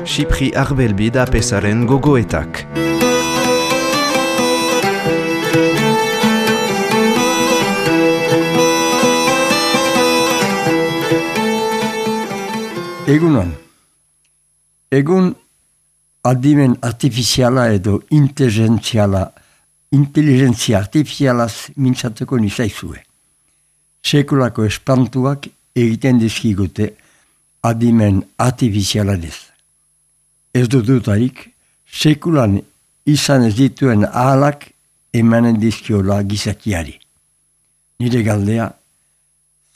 Xipri Arbelbid apesaren gogoetak. Egunon. Egun adimen artifiziala edo inteligentzia artifizialaz mintzatuko nizaizue. Sekulako espantuak egiten dizkigute adimen artifizialanez. Ez dudutarik, sekulan izan ez dituen ahalak emanen dizkiola gizakiari. Nire galdea,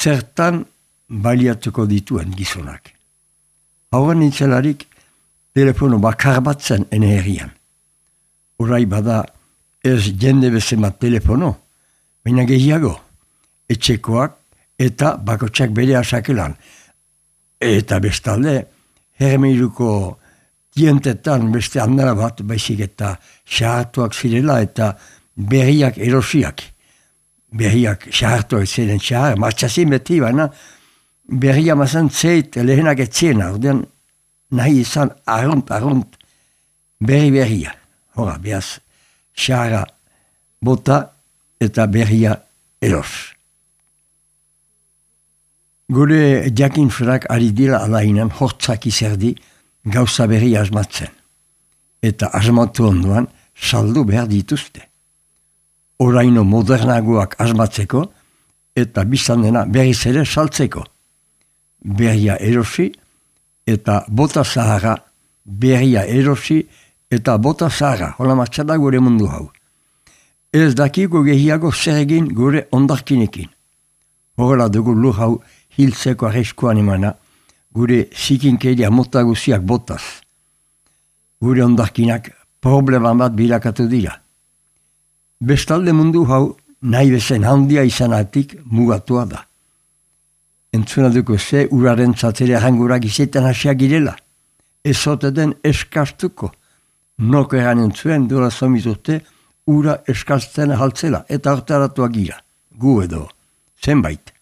zertan baliatuko dituen gizonak. Hauan nintzelarik, telefono bakar bat zen ene herrian. Horai bada ez jende bezemat telefono, baina gehiago, etxekoak eta bakotsak bere asakelan. Eta bestalde, hermeiruko tientetan beste handara bat, baizik eta xahartuak zirela eta berriak erosiak. Berriak xahartuak ziren xahar, martxazin beti baina, berria mazan zeit lehenak etziena, ordean nahi izan arrunt, berria. Hora, behaz, xahara bota eta berria eros. Gure jakin frak ari dira alainan hortzak izerdi gauza berri asmatzen. Eta asmatu ondoan saldu behar dituzte. Oraino modernagoak asmatzeko eta biztan dena berriz ere saltzeko. Berria erosi eta bota zahara, berria erosi eta bota zahara, hola martxada gure mundu hau. Ez dakiko gehiago zer egin gure ondarkinekin. Horrela dugu lur hau hiltzeko arriskuan emana, gure zikinkeria mota guziak botaz. Gure ondarkinak probleman bat bilakatu dira. Bestalde mundu hau nahi bezen handia izanatik mugatua da. Entzuna duko ze uraren zatere hangurak izetan hasiak girela. Ez ote den eskastuko. Nok eran entzuen dura somizurte ura eskasten haltzela eta hortaratuak gira. Gu edo, zenbait.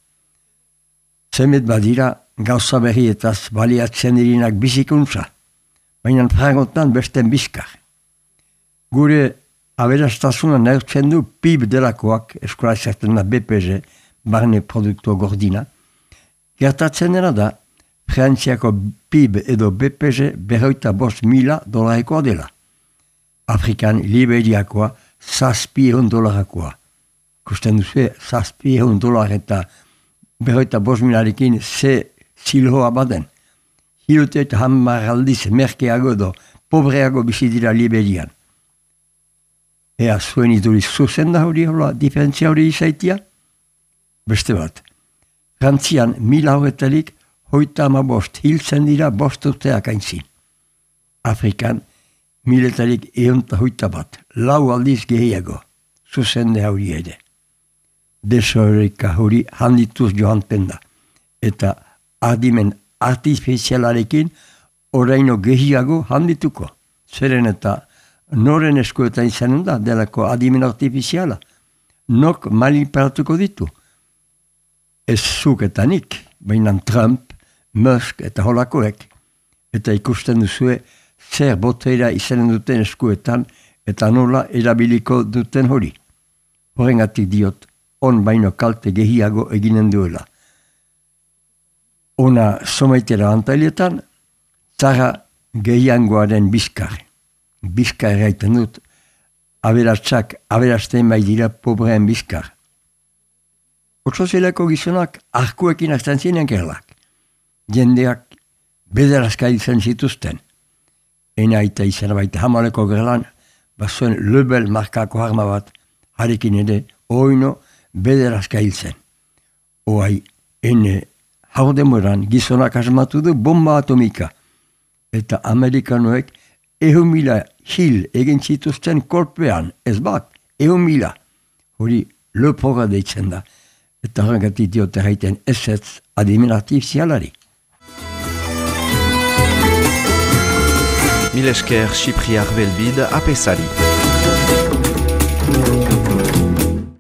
Zemet badira gauza berrietaz baliatzen dirinak bizikuntza, baina frangotan besten bizkar. Gure aberastasuna neurtzen du PIB delakoak, eskola ezerten da BPG, barne produktu gordina. Gertatzen dena da, Frantziako PIB edo BPG $105,000 dela. Afrikan Liberiakoa $600. Kusten duzu, $600 eta $105,000 ze zilhoa baden. Hilute eta hamar merkeago edo pobreago bizi dira Liberian. Ea zuen iduriz zuzen da hori hola, diferentzia hori izaitia? Beste bat. Frantzian 1000 horretarik 35 hiltzen dira 5 urteak aintzin. Afrikan 1000-etarik 108 bat, 4 aldiz gehiago, zuzende hori ere. Desoreka hori handituz joanten da, eta adimen artifizialarekin oraino gehiago handituko. Zeren eta noren eskuetan izanen da, delako adimen artifiziala. Nok manipulatuko ditu. Ez zuketanik, baina Trump, Musk eta holakoek, eta ikusten duzue zer boteira izanen duten eskuetan eta nola erabiliko duten hori. Horrengatik diot, on baino kalte gehiago eginen duela. Ona somaitera antailetan, zara gehiangoaren bizkar. Bizkar eraiten dut, aberatsak aberasten bai dira pobreen bizkar. Otsozeleko gizonak arkuekin hartzen ziren gerlak. Jendeak bederazka izan zituzten. Ena eta izan baita hamaleko gerlan, bazuen Lebel markako harma bat, harekin ere, oino bederazka hiltzen. Oai, ene haudemoran gizonak asmatu du bomba atomika. Eta Amerikanoek 100,000 hil egin zituzten kolpean, ez bat, 100,000. Hori lepoga deitzen da. Eta horrengatik diote haiten ezetz adimen artifizialari. Mil esker Xipri Arbelbid apesari.